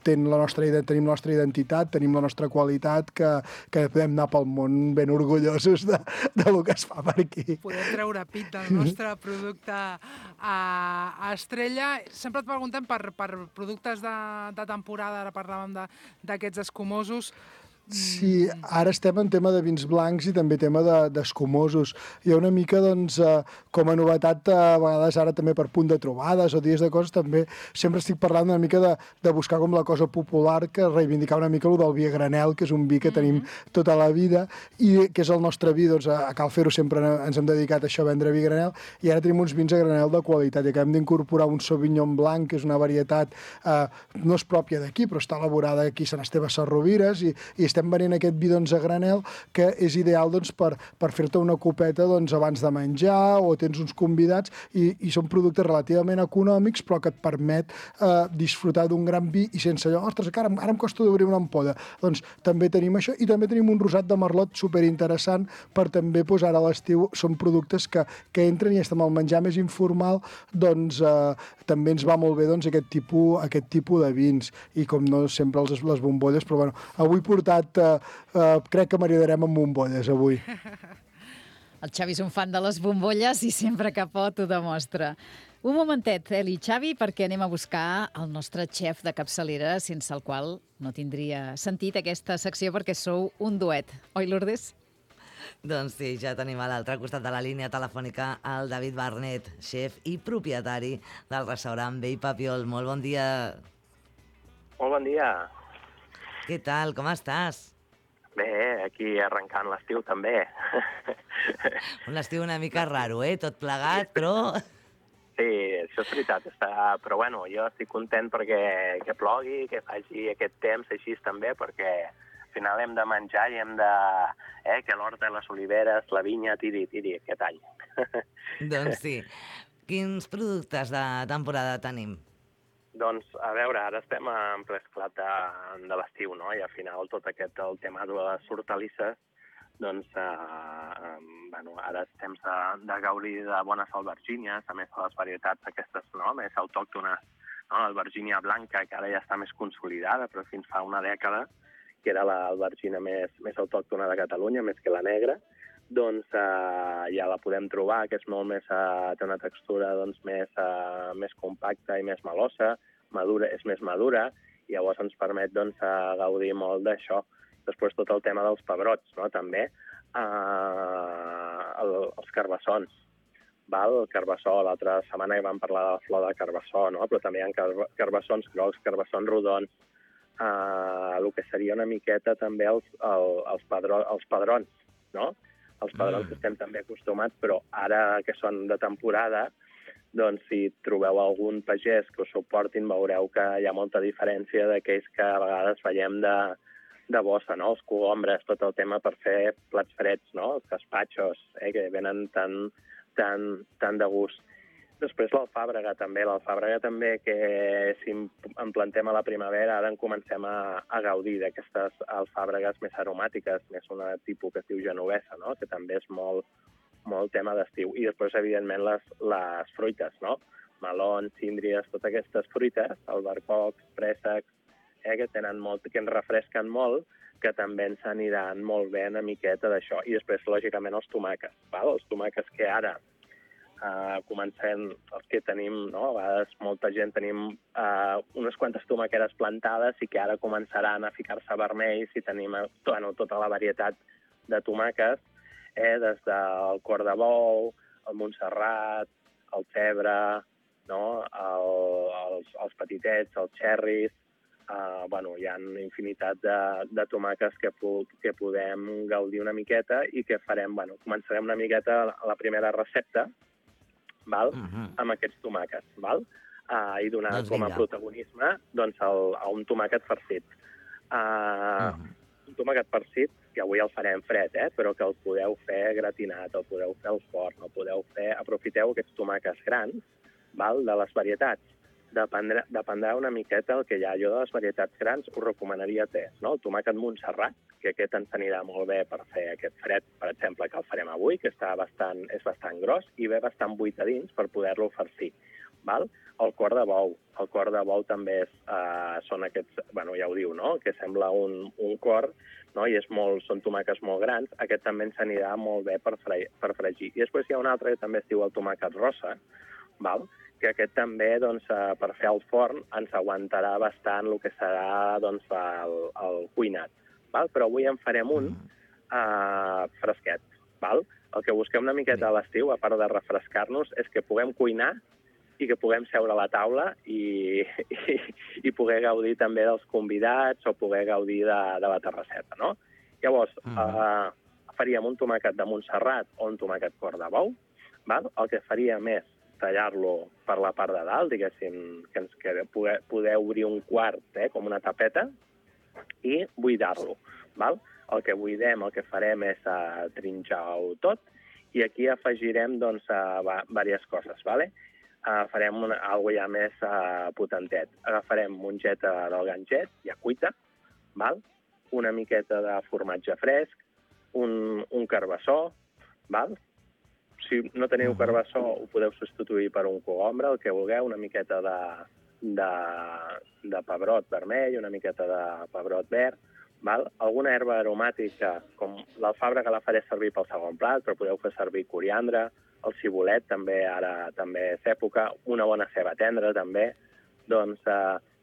[SPEAKER 10] tenim la nostra identitat, tenim la nostra qualitat, que podem anar pel món ben orgullosos del que es fa per aquí.
[SPEAKER 9] Podem treure pit del nostre producte a Estrella. Sempre et preguntem per productes de temporada, ara parlàvem d'aquests escumosos.
[SPEAKER 10] Sí, ara estem en tema de vins blancs i també tema d'escumosos. Hi ha una mica, doncs, com a novetat, a vegades ara també per punt de trobades o dies de coses, també sempre estic parlant una mica de buscar com la cosa popular, que reivindicar una mica el del vi a granel, que és un vi que tenim tota la vida i que és el nostre vi, doncs a Cal Fer-ho sempre ens hem dedicat a això, a vendre vi a granel, i ara tenim uns vins a granel de qualitat i acabem d'incorporar un Sauvignon Blanc, que és una varietat, no és pròpia d'aquí, però està elaborada aquí a Sant Esteve Sesrovires i estem venent aquest vi, doncs, a granel, que és ideal, doncs, per fer-te una copeta, doncs, abans de menjar o tens uns convidats i són productes relativament econòmics però que et permet disfrutar d'un gran vi i sense allò, ostres, que ara em costa d'obrir una ampolla. Doncs també tenim això i també tenim un rosat de merlot superinteressant per també, doncs, ara a l'estiu són productes que entren i estem al menjar més informal, doncs també ens va molt bé, doncs, aquest tipus de vins i com no sempre les bombolles, però bueno, avui portat crec que maridarem amb bombolles avui.
[SPEAKER 1] El Xavi és un fan de les bombolles i sempre que pot ho demostra. Un momentet, Eli i Xavi, perquè anem a buscar el nostre xef de capçalera, sense el qual no tindria sentit aquesta secció perquè sou un duet. Oi, Lourdes?
[SPEAKER 2] Doncs sí, ja tenim a l'altre costat de la línia telefònica el David Barnet, xef i propietari del restaurant Vell Papiol. Molt bon dia.
[SPEAKER 11] Molt bon dia.
[SPEAKER 2] Què tal, com estàs?
[SPEAKER 11] Bé, aquí arrencant l'estiu també.
[SPEAKER 2] Un estiu una mica raro, tot plegat, però...
[SPEAKER 11] Sí, això és veritat, però bueno, jo estic content perquè que plogui, que faci aquest temps així també, perquè al final hem de menjar i hem de... que l'horta, les oliveres, la vinya, tiri aquest any.
[SPEAKER 2] Doncs sí. Quins productes de temporada tenim?
[SPEAKER 11] Doncs, a veure, ara estem en ple esclat de l'estiu, no? I al final tot el tema de les hortalisses, doncs, ara és temps de gaudir de bones albergínies, a més de les varietats aquestes, no?, més autòctones, no? L'albergínia blanca, que ara ja està més consolidada, però fins fa una dècada, que era l'albergina més autòctona de Catalunya, més que la negra, doncs ja la podem trobar, que és molt més, té una textura doncs, més compacta i més melosa, és més madura, i llavors ens permet doncs, gaudir molt d'això. Després tot el tema dels pebrots, no? També els carbassons. El carbassó, l'altra setmana que vam parlar de la flor de carbassó, no? Però també hi ha carbassons grocs, carbassons rodons, el que seria una miqueta també els padrons, no? Els padrons que estem també acostumats, però ara que són de temporada, doncs si trobeu algun pagès que us suportin, veureu que hi ha molta diferència d'aquells que a vegades veiem de bossa, no? Els cogombres, tot el tema per fer plats freds, no? Els gazpachos, que venen tan de gust. Després l'alfàbrega també, que si en plantem a la primavera, ara en comencem a gaudir d'aquestes alfàbregues més aromàtiques, més una tipus que es diu genovesa, no? Que també és molt tema d'estiu. I després, evidentment, les fruites, no? Melons, síndries, totes aquestes fruites, albercocs, préssecs, que ens refresquen molt, que també ens aniran molt bé una miqueta d'això. I després, lògicament, els tomàquets. Els tomàquets que ara comencem, els que tenim, no? A vegades molta gent tenim unes quantes tomàqueres plantades i que ara començaran a ficar-se vermells i tenim tota la varietat de tomàquets, des del cor de bou, el Montserrat, el cebre, no? Els petitets, els xerris. Hi ha infinitat de tomàquets que podem gaudir una miqueta i que farem, començarem una miqueta la primera recepta, amb aquests tomàquets, i donar com a protagonisme a un tomàquet farcit. Un tomàquet farcit, que avui el farem fred, però que el podeu fer gratinat, el podeu fer al forn, aprofiteu aquests tomàquets grans, de les varietats. Dependrà una miqueta el que hi ha. Jo de les varietats grans us recomanaria no? El tomàquet Montserrat, que aquest ens anirà molt bé per fer aquest fred, per exemple, que el farem avui, que és bastant gros i ve bastant buit a dins per poder-lo farcir. El cor de bou. El cor de bou també són aquests, ja ho diu, no? Que sembla un cor, no? I són tomàquets molt grans. Aquest també ens anirà molt bé per fregir. I després hi ha un altre que també es diu el tomàquet rosa, que aquest també, per fer al forn, ens aguantarà bastant el que serà el cuinat. Però avui en farem un fresquet. El que busquem una miqueta a l'estiu, a part de refrescar-nos, és que puguem cuinar i que puguem seure a la taula i poder gaudir també dels convidats o poder gaudir de la terrasseta, no? Llavors, faríem un tomàquet de Montserrat o un tomàquet cor de bou. El que faríem és tallar-lo per la part de dalt, diguéssim, que poder obrir un quart, com una tapeta, i buidar-lo. El que buidem, el que farem és trinxar-ho tot, i aquí afegirem diverses coses. Farem alguna ja més potentet. Agafarem mongeta del ganget, ja cuita, una miqueta de formatge fresc, un carbassó, si no teniu carbassó, ho podeu substituir per un cogombre, el que vulgueu, una miqueta de pebrot vermell, una miqueta de pebrot verd, alguna herba aromàtica, com l'alfàbrega la faré servir pel segon plat, però podeu fer servir coriandre, el cibulet també, ara també és època, una bona ceba tendra també. Doncs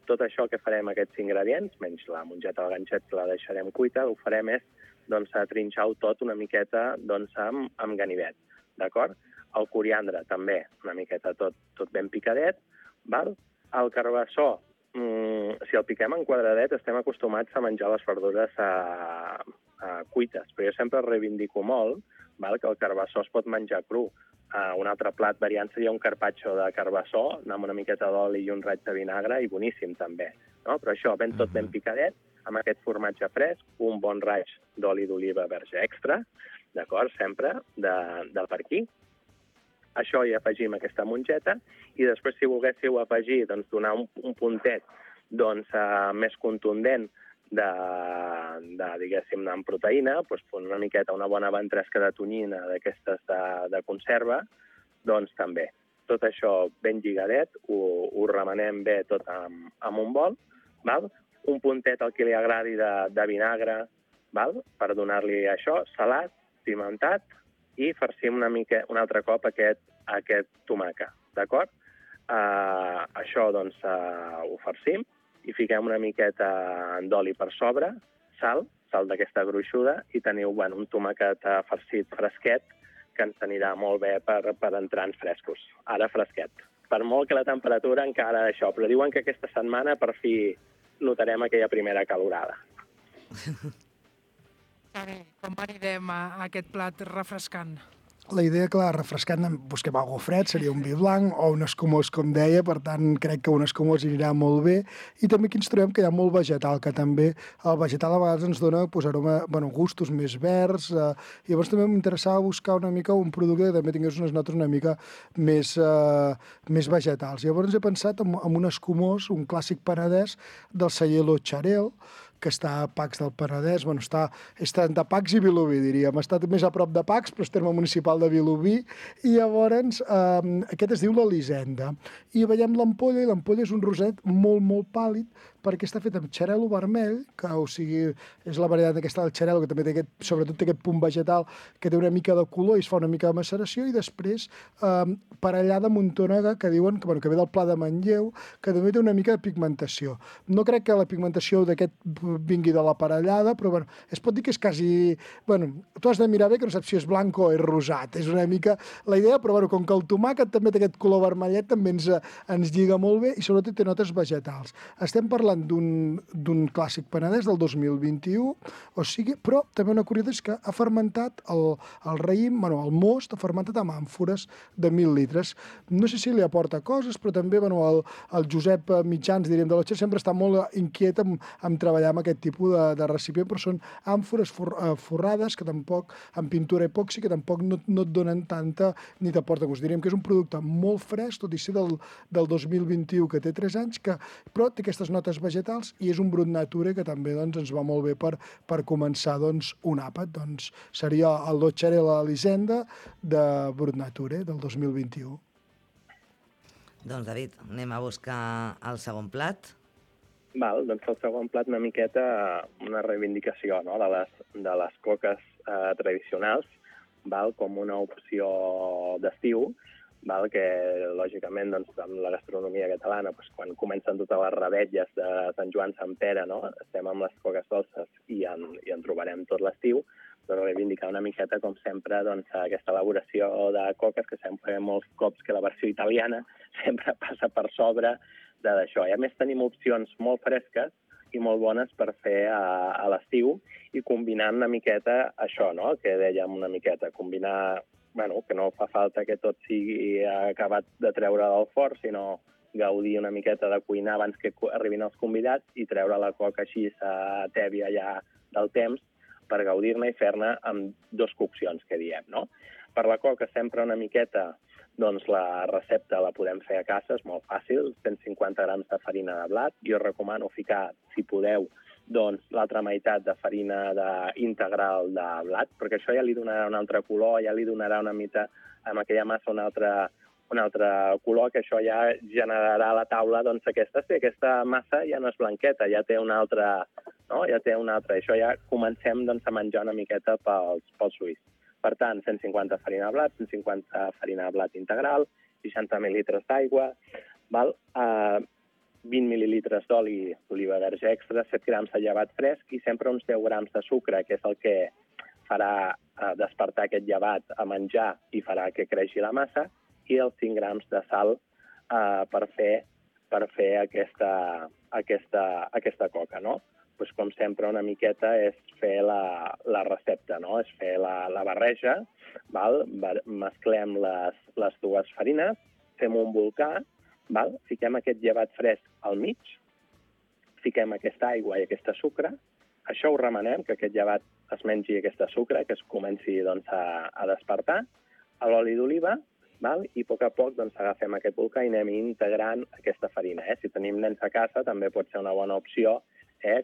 [SPEAKER 11] tot això que farem, aquests ingredients, menys la mongeta del ganxet que la deixarem cuita, ho farem és trinxar-ho tot una miqueta amb ganivet. D'acord? El coriandre també, una miqueta tot ben picadet. El carbassó, si el piquem en quadradet, estem acostumats a menjar les verdures cuites, però jo sempre reivindico molt que el carbassó es pot menjar cru. Un altre plat variant seria un carpaccio de carbassó, amb una miqueta d'oli i un raig de vinagre, i boníssim també. Però això, tot ben picadet, amb aquest formatge fresc, un bon raig d'oli d'oliva verge extra, d'acord, sempre, del per aquí. Això hi afegim aquesta mongeta, i després, si volguéssiu afegir, donar un puntet més contundent diguéssim, amb proteïna, una miqueta, una bona ventresca de tonyina d'aquestes de conserva, doncs també. Tot això ben lligadet, ho remenem bé tot amb un bol, un puntet al que li agradi de vinagre, per donar-li això, salat, pimentat, i farcim un altre cop aquest tomàquet, d'acord? Això, ho farcim i fiquem una miqueta d'oli per sobre, sal d'aquesta gruixuda, i teniu un tomàquet farcit fresquet que ens anirà molt bé per entrants frescos. Ara fresquet. Per molt que la temperatura encara això, però diuen que aquesta setmana per fi notarem aquella primera calorada.
[SPEAKER 9] Com anirem a aquest plat refrescant?
[SPEAKER 10] la idea, clar, refrescant, busquem alguna fred, seria un vi blanc o un escumós, com deia, per tant, crec que un escumós anirà molt bé. I també aquí ens trobem que hi ha molt vegetal, que també el vegetal a vegades ens dona gustos més verds. Llavors també m'interessava buscar una mica un producte que també tingués unes notes una mica més vegetals. Llavors he pensat en un escumós, un clàssic penedès del celler Lo Xarel, que està a Pacs del Penedès, està entre Pacs i Vilobí, diríem. Està més a prop de Pacs, però és terme municipal de Vilobí, i llavors aquest es diu l'Elisenda. I veiem l'ampolla, i l'ampolla és un roset molt, molt pàl·lid, perquè està fet amb xarel·lo vermell, que o sigui, és la varietat aquesta del xarel·lo, que també té sobretot té aquest punt vegetal, que té una mica de color i es fa una mica de maceració, i després parellada amb un tònega que diuen que ve del Pla de Manlleu, que també té una mica de pigmentació. No crec que la pigmentació d'aquest vingui de la parellada, però es pot dir que és quasi... tu has de mirar bé, que no saps si és blanc o és rosat. És una mica la idea, però com que el tomàquet també té aquest color vermellet, també ens lliga molt bé i sobretot té notes vegetals. Estem parlant d'un clàssic penedès del 2021, però també una curiositat és que ha fermentat el raïm, el most, ha fermentat amb àmfores de 1.000 litres. No sé si li aporta coses, però també el Josep Mitjans, diríem, de l'Otxer, sempre està molt inquiet amb treballar amb aquest tipus de recipient, però són àmfores forrades que tampoc, amb pintura epòxi, que tampoc no et donen tanta ni t'aporta gust. Diríem que és un producte molt fresc, tot i ser del 2021, que té 3 anys, però té aquestes notes vegetals i és un brut nature que també ens va molt bé per començar un àpat. Seria el Lo Xarel a l'Elisenda de brut nature del 2021.
[SPEAKER 2] Doncs, David, anem a buscar el segon plat.
[SPEAKER 11] Doncs el segon plat una miqueta una reivindicació de les coques tradicionals, com una opció d'estiu, que lògicament amb la gastronomia catalana, quan comencen totes les revetlles de Sant Joan, Sant Pere, estem amb les coques dolces i en trobarem tot l'estiu, però reivindicar una miqueta, com sempre, aquesta elaboració de coques, que sempre molts cops que la versió italiana sempre passa per sobre d'això. I a més tenim opcions molt fresques i molt bones per fer a l'estiu i combinant una miqueta això, que dèiem una miqueta, combinar, que no fa falta que tot sigui acabat de treure del forn, sinó gaudir una miqueta de cuinar abans que arribin els convidats i treure la coca així tèbia ja del temps per gaudir-ne i fer-ne amb 2 coccions, que diem, no? Per la coca sempre una miqueta, la recepta la podem fer a casa, és molt fàcil, 150 grams de farina de blat. Jo recomano ficar, si podeu, l'altra meitat de farina integral de blat, perquè això ja li donarà un altre color, ja li donarà una mica amb aquella massa un altre color, que això ja generarà a la taula aquesta massa ja no és blanqueta, ja té una altra, no? Ja té una altra. Això ja comencem a menjar una miqueta pels ulls. Per tant, 150 farina de blat, 150 farina de blat integral, 60 mil·litres d'aigua, 20 mil·lilitres d'oli d'oliva verge extra, 7 grams de llevat fresc i sempre uns 10 grams de sucre, que és el que farà despertar aquest llevat a menjar i farà que creixi la massa, i els 5 grams de sal per fer aquesta coca, no? Doncs, com sempre, una miqueta és fer la recepta, no? És fer la barreja, mesclem les 2 farines, fem un volcà, fiquem aquest llevat fresc al mig, fiquem aquesta aigua i aquesta sucre, això ho remenem, que aquest llevat es mengi aquesta sucre, que es comenci a despertar, a l'oli d'oliva, i a poc agafem aquest volcà i anem integrant aquesta farina. Si tenim nens a casa també pot ser una bona opció,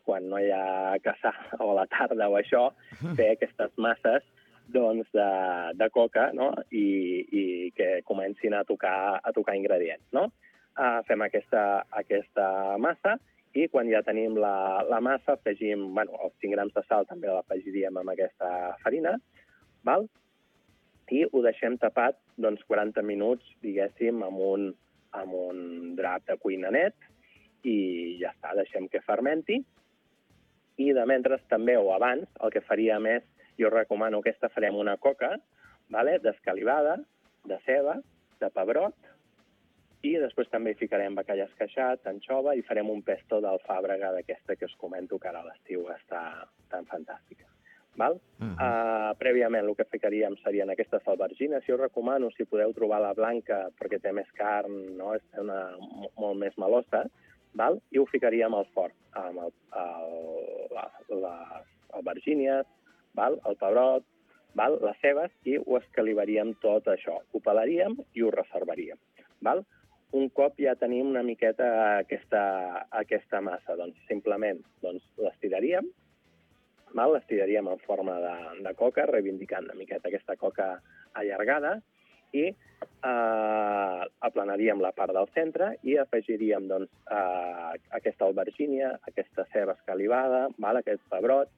[SPEAKER 11] quan no hi ha caçar o a la tarda o això, fer aquestes masses de coca, no? I que comencin a tocar ingredients, no? Fem aquesta massa i quan ja tenim la massa afegim, els 5 grams de sal també l'afegiríem amb aquesta farina, i ho deixem tapat 40 minuts, diguéssim, amb un drap de cuina net, i ja està, deixem que fermenti. I de mentre també, o abans, el que faríem és, jo recomano aquesta farem una coca, d'escalivada, de ceba, de pebrot, i després també hi ficarem bacallà esqueixat, anxova, i farem un pesto d'alfàbrega d'aquesta que us comento que ara a l'estiu està tan fantàstica. val? Prèviament el que ficaríem serien aquestes albergines. Jo recomano, si podeu trobar la blanca, perquè té més carn, no? És molt més melosa, val? I ho ficaríem al forn, amb les albergínies, val? El pebrot, val? Les cebes, i ho escalivaríem tot això. Ho pelaríem i ho reservaríem. Val? Un cop ja tenim una miqueta aquesta massa, doncs simplement l'estiraríem, l'estiraríem en forma de coca, reivindicant una miqueta aquesta coca allargada, i aplanaríem la part del centre i afegiríem aquesta albergínia, aquesta ceba escalivada, aquest pebrot,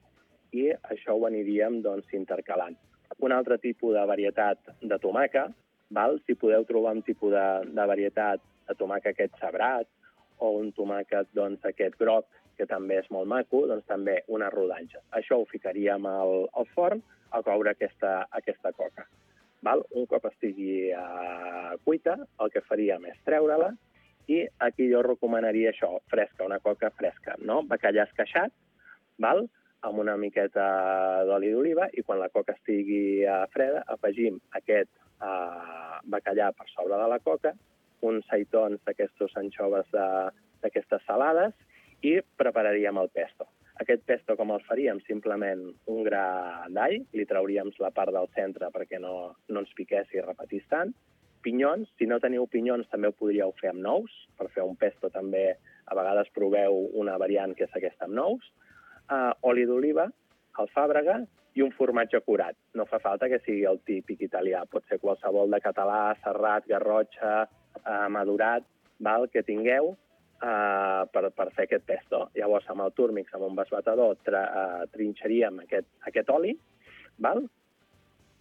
[SPEAKER 11] i això ho aniríem intercalant. Un altre tipus de varietat de tomàquer, si podeu trobar un tipus de varietat de tomàquer aquest sabrat o un tomàquet aquest groc, que també és molt maco, doncs també unes rodanxes. Això ho ficaríem al forn a coure aquesta coca. Un cop estigui cuita, el que faríem és treure-la, i aquí jo recomanaria això, fresca, una coca fresca, no? Bacallà esqueixat, amb una miqueta d'oli d'oliva, i quan la coca estigui freda, afegim aquest bacallà per sobre de la coca, uns seitons d'aquestes anxoves d'aquestes salades, i prepararíem el pesto. Aquest pesto com el faríem? Simplement un gra d'all, li trauríem la part del centre perquè no ens piqués i repetís tant. Pinyons, si no teniu pinyons també ho podríeu fer amb nous, per fer un pesto també a vegades proveu una variant que és aquesta amb nous. Oli d'oliva, alfàbrega i un formatge curat. No fa falta que sigui el típic italià, pot ser qualsevol de català, serrat, garrotxa, madurat, que tingueu per fer aquest pesto. Llavors, amb el túrmix, amb un besbatedor, trinxaríem aquest oli,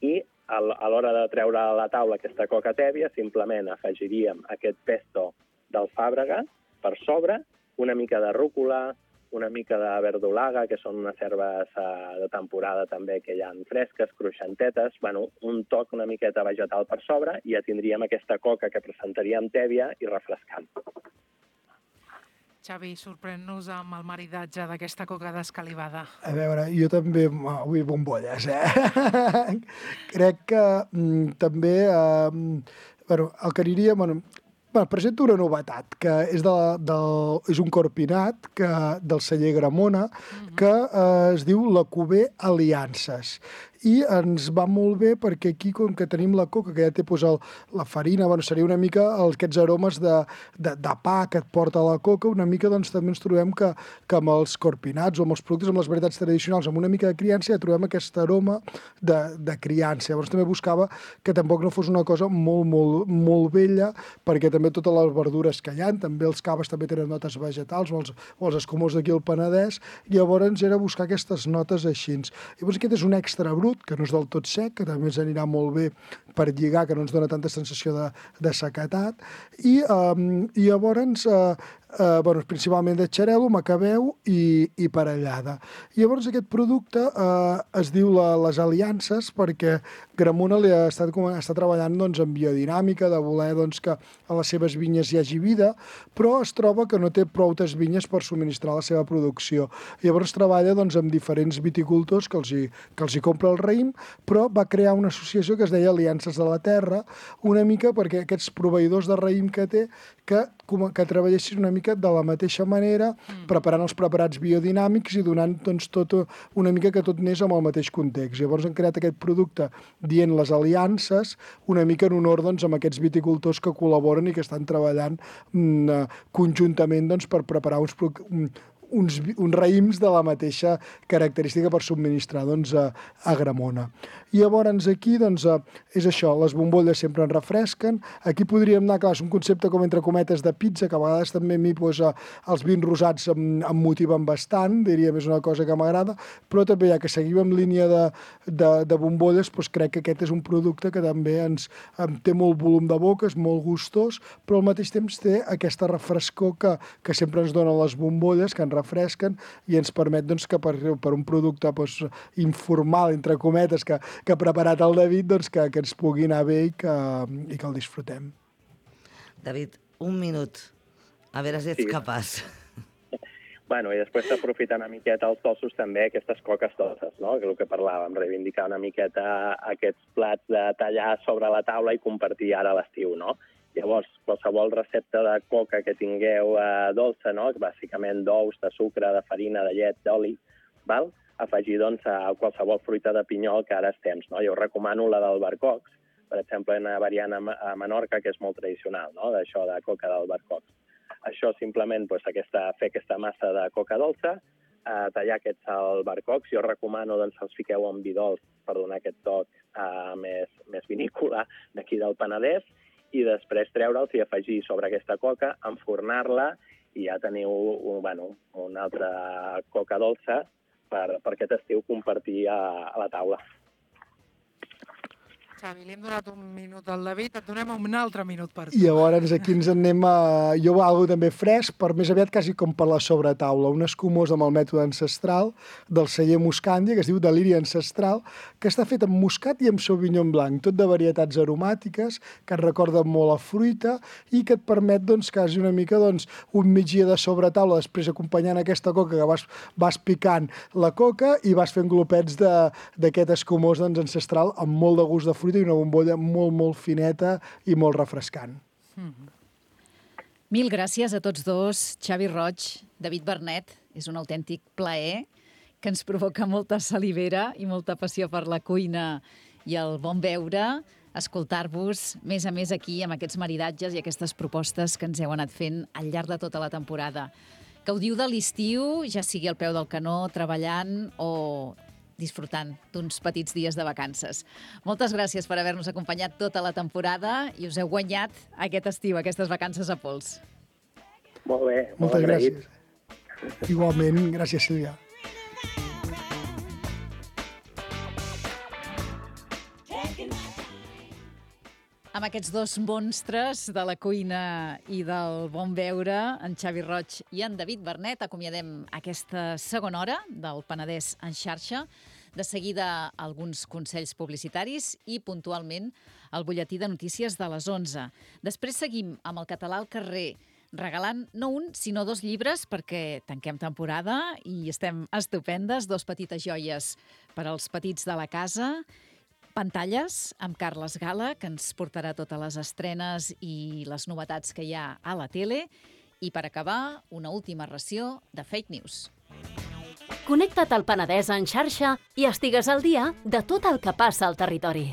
[SPEAKER 11] i a l'hora de treure a la taula aquesta coca tèbia, simplement afegiríem aquest pesto d'alfàbrega per sobre, una mica de rúcula, una mica de verdolaga, que són unes herbes de temporada també que hi ha fresques, cruixentetes, un toc una miqueta vegetal per sobre, i ja tindríem aquesta coca que presentaríem tèbia i refrescant.
[SPEAKER 9] Xavi, sorprèn-nos amb el maridatge d'aquesta coca descalivada.
[SPEAKER 10] A veure, jo també vull bombolles, Crec que també, el que aniria... presento una novetat, que és un corpinat del celler Gramona, que es diu l'Alcover Aliances. I ens va molt bé perquè aquí, com que tenim la coca, que ja té la farina, seria una mica aquests aromes de pa que et porta la coca, una mica també ens trobem que amb els corpinats o amb els productes, amb les varietats tradicionals, amb una mica de criança, ja trobem aquest aroma de criança. Llavors també buscava que tampoc no fos una cosa molt, molt, molt vella, perquè també totes les verdures que hi ha, també els caves també tenen notes vegetals, o els escumós d'aquí al Penedès, llavors era buscar aquestes notes així. Llavors aquest és un extra brut, que no és del tot sec, que també ens anirà molt bé per lligar, que no ens dona tanta sensació de sequedat, i llavors principalment de xarel·lo, macabeu i parellada. Llavors aquest producte es diu les aliances perquè Gramona està treballant en biodinàmica, de voler que a les seves vinyes hi hagi vida, però es troba que no té proutes vinyes per subministrar la seva producció. Llavors treballa amb diferents viticultors que els hi compra el raïm, però va crear una associació que es deia Aliances de la Terra, una mica perquè aquests proveïdors de raïm que té, que treballessin una mica de la mateixa manera, preparant els preparats biodinàmics i donant tot una mica que tot anés amb el mateix context. Llavors han creat aquest producte dient les aliances, una mica en honor amb aquests viticultors que col·laboren i que estan treballant conjuntament per preparar uns raïms de la mateixa característica per subministrar a Gramona. I llavors aquí és això, les bombolles sempre ens refresquen. Aquí podríem anar, clar, és un concepte com entre cometes de pizza, que a vegades també a mi els vins rosats em motiven bastant, diríem, és una cosa que m'agrada, però també ja que seguim en línia de bombolles, crec que aquest és un producte que també té molt volum de boca, és molt gustós, però al mateix temps té aquesta refrescor que sempre ens donen les bombolles, que ens refresquen i ens permet que per un producte informal, entre cometes, que ha preparat el David, que ens pugui anar bé i que el disfrutem.
[SPEAKER 2] David, un minut. A veure si ets capaç.
[SPEAKER 11] Bueno, i després s'aprofita una miqueta els dolços també, aquestes coques dolces, no? Que és el que parlàvem, reivindicar una miqueta aquests plats de tallar sobre la taula i compartir ara a l'estiu, no? Llavors, qualsevol recepta de coca que tingueu dolça, no? Bàsicament d'ous, de sucre, de farina, de llet, d'oli, val? Afegir doncs, a qualsevol fruita de pinyol que ara estem, no? Jo recomano la d'albercocs, per exemple, una variant a Menorca que és molt tradicional, no? D'això de coca d'albercocs. Això simplement doncs, fer aquesta massa de coca dolça, tallar aquests albercocs. Jo recomano doncs, els fiqueu en vi dolç per donar aquest toc més vinícola d'aquí del Penedès i després treure'ls i afegir sobre aquesta coca, enfornar-la i ja teniu una altra coca dolça per aquest estiu compartir a la taula.
[SPEAKER 9] Xavi, li hem donat un minut al David, et donem un altre minut per tu.
[SPEAKER 10] I llavors aquí ens en anem a... Jo algo també fresc, per més aviat quasi com per la sobretaula. Un escumós amb el mètode ancestral del celler Muscandia, que es diu Deliri Ancestral, que està fet amb muscat i amb sauvignon blanc, tot de varietats aromàtiques, que et recorden molt a fruita i que et permet, doncs, quasi una mica, doncs, un migdia de sobretaula, després acompanyant aquesta coca que vas picant la coca i vas fent glopets d'aquest escumós, doncs, ancestral amb molt de gust de fruita i una bombolla molt, molt fineta i molt refrescant.
[SPEAKER 1] Mil gràcies a tots dos, Xavi Roig, David Bernet. És un autèntic plaer que ens provoca molta salivera i molta passió per la cuina i el bon beure, escoltar-vos més a més aquí amb aquests maridatges i aquestes propostes que ens heu anat fent al llarg de tota la temporada. Gaudiu de l'estiu, ja sigui al peu del canó, treballant o disfrutant d'uns petits dies de vacances. Moltes gràcies per haver-nos acompanyat tota la temporada i us heu guanyat aquest estiu, aquestes vacances a pols.
[SPEAKER 11] Molt bé,
[SPEAKER 10] moltes gràcies. Igualment, gràcies, Sílvia.
[SPEAKER 1] Amb aquests dos monstres de la cuina i del bon beure, en Xavi Roig i en David Bernet, acomiadem aquesta segona hora del Penedès en xarxa. De seguida, alguns consells publicitaris i, puntualment, el butlletí de notícies de les 11. Després seguim amb el Català al carrer, regalant no un, sinó 2 llibres, perquè tanquem temporada i estem estupendes, 2 petites joies per als petits de la casa, pantalles amb Carles Gala, que ens portarà totes les estrenes i les novetats que hi ha a la tele. I per acabar, una última ració de fake news.
[SPEAKER 12] Connecta't al Penedès en xarxa i estigues al dia de tot el que passa al territori.